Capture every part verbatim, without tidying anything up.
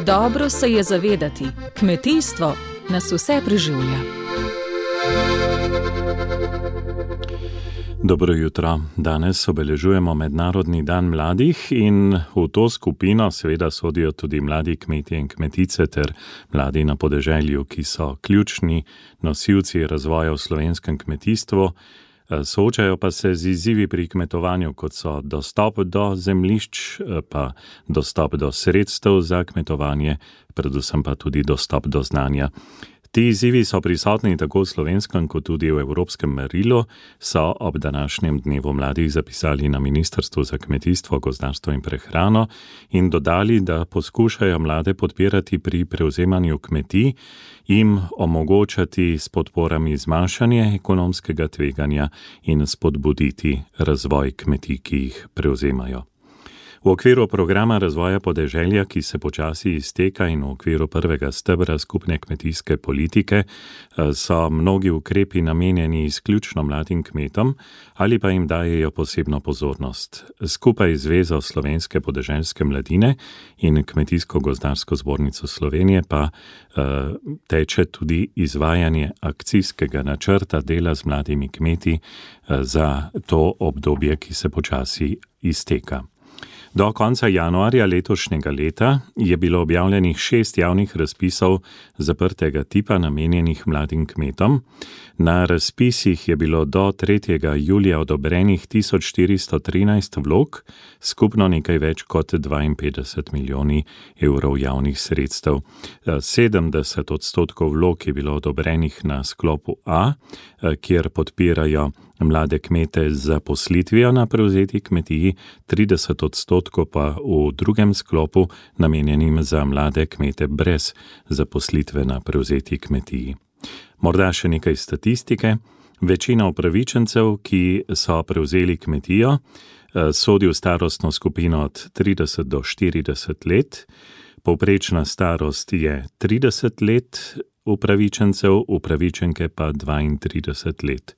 Dobro se je zavedati, kmetijstvo nas vse preživlja. Dobro jutro. Danes obeležujemo Mednarodni dan mladih in v to skupino seveda sodijo tudi mladi kmetje in kmetice ter mladi na podeželju, ki so ključni nosilci razvoja v slovenskem kmetijstvu. Soočajo pa se z izzivi pri kmetovanju, kot so dostop do zemljišč, pa dostop do sredstev za kmetovanje, predvsem pa tudi dostop do znanja. Ti izzivi so prisotni tako v slovenskem kot tudi v evropskem merilu, so ob današnjem dnevu mladih zapisali na Ministrstvu za kmetijstvo, gozdarstvo in prehrano in dodali, da poskušajo mlade podpirati pri prevzemanju kmetij, jim omogočati s podporami zmanjšanje ekonomskega tveganja in spodbuditi razvoj kmetij, ki jih prevzemajo. V okviru programa razvoja podeželja, ki se počasi izteka, in v okviru prvega stebra skupne kmetijske politike so mnogi ukrepi namenjeni izključno mladim kmetom ali pa jim dajejo posebno pozornost. Skupaj z Zvezo slovenske podeželske mladine in Kmetijsko-gozdarsko zbornico Slovenije pa uh, teče tudi izvajanje akcijskega načrta dela z mladimi kmeti uh, za to obdobje, ki se počasi izteka. Do konca januarja letošnjega leta je bilo objavljenih šest javnih razpisov zaprtega tipa namenjenih mladim kmetom. Na razpisih je bilo do tretjega julija odobrenih tisoč štiristo trinajst vlog, skupno nekaj več kot dvainpetdeset milijoni evrov javnih sredstev. sedemdeset odstotkov vlog je bilo odobrenih na sklopu A, kjer podpirajo mlade kmete z zaposlitvijo na prevzeti kmetiji, trideset odstotkov pa v drugem sklopu namenjenim za mlade kmete brez zaposlitve na prevzeti kmetiji. Morda še nekaj statistike. Večina upravičencev, ki so prevzeli kmetijo, sodi v starostno skupino od trideset do štirideset let. Povprečna starost je trideset let upravičencev, upravičenke pa dvaintrideset let.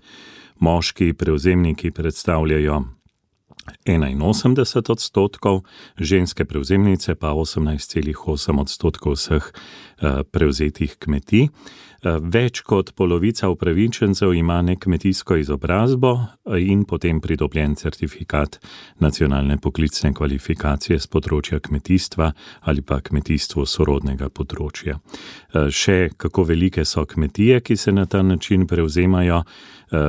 Moški prevzemniki predstavljajo enainosemdeset odstotkov, ženske prevzemnice pa osemnajst celih osem odstotkov vseh prevzetih kmetij. Več kot polovica upravičencev ima nekmetijsko izobrazbo in potem pridobljen certifikat nacionalne poklicne kvalifikacije z področja kmetijstva ali pa kmetijstvo sorodnega področja. Še kako velike so kmetije, ki se na ta način prevzemajo.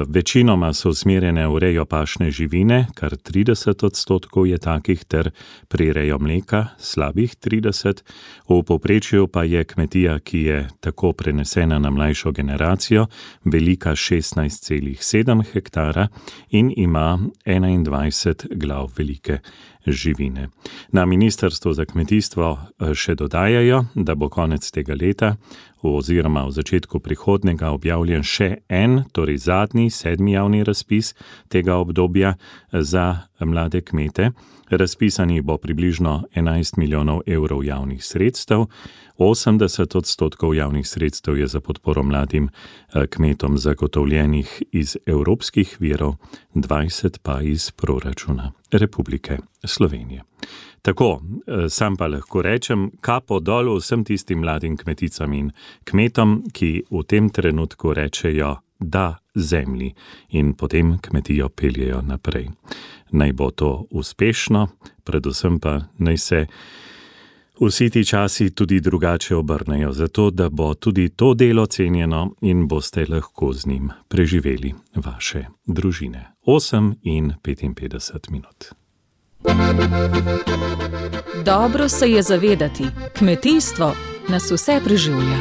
Večinoma so usmerjene v rejo pašne živine, kar trideset odstotkov je takih, ter prirejo mleka, slabih trideset. V povprečju pa je kmetija, ki je tako prenesena na mlajšo generacijo, velika šestnajst celih sedem hektara in ima enaindvajset glav velike živine. Na Ministrstvu za kmetijstvo še dodajajo, da bo konec tega leta oziroma v začetku prihodnjega objavljen še en, torej zadnji, sedmi javni razpis tega obdobja za mlade kmete. Razpisanih bo približno enajst milijonov evrov javnih sredstev, osemdeset odstotkov javnih sredstev je za podporo mladim kmetom zagotovljenih iz evropskih virov, dvajset pa iz proračuna Republike Slovenije. Tako, sam pa lahko rečem, kapo dol vsem tistim mladim kmeticam in kmetom, ki v tem trenutku rečejo da zemlji in potem kmetijo peljejo naprej. Naj bo to uspešno, predvsem pa naj se vsi ti časi tudi drugače obrnejo, zato da bo tudi to delo cenjeno in boste lahko z njim preživeli vaše družine. osem in petinpetdeset minut. Dobro se je zavedati, kmetijstvo nas vse preživlja.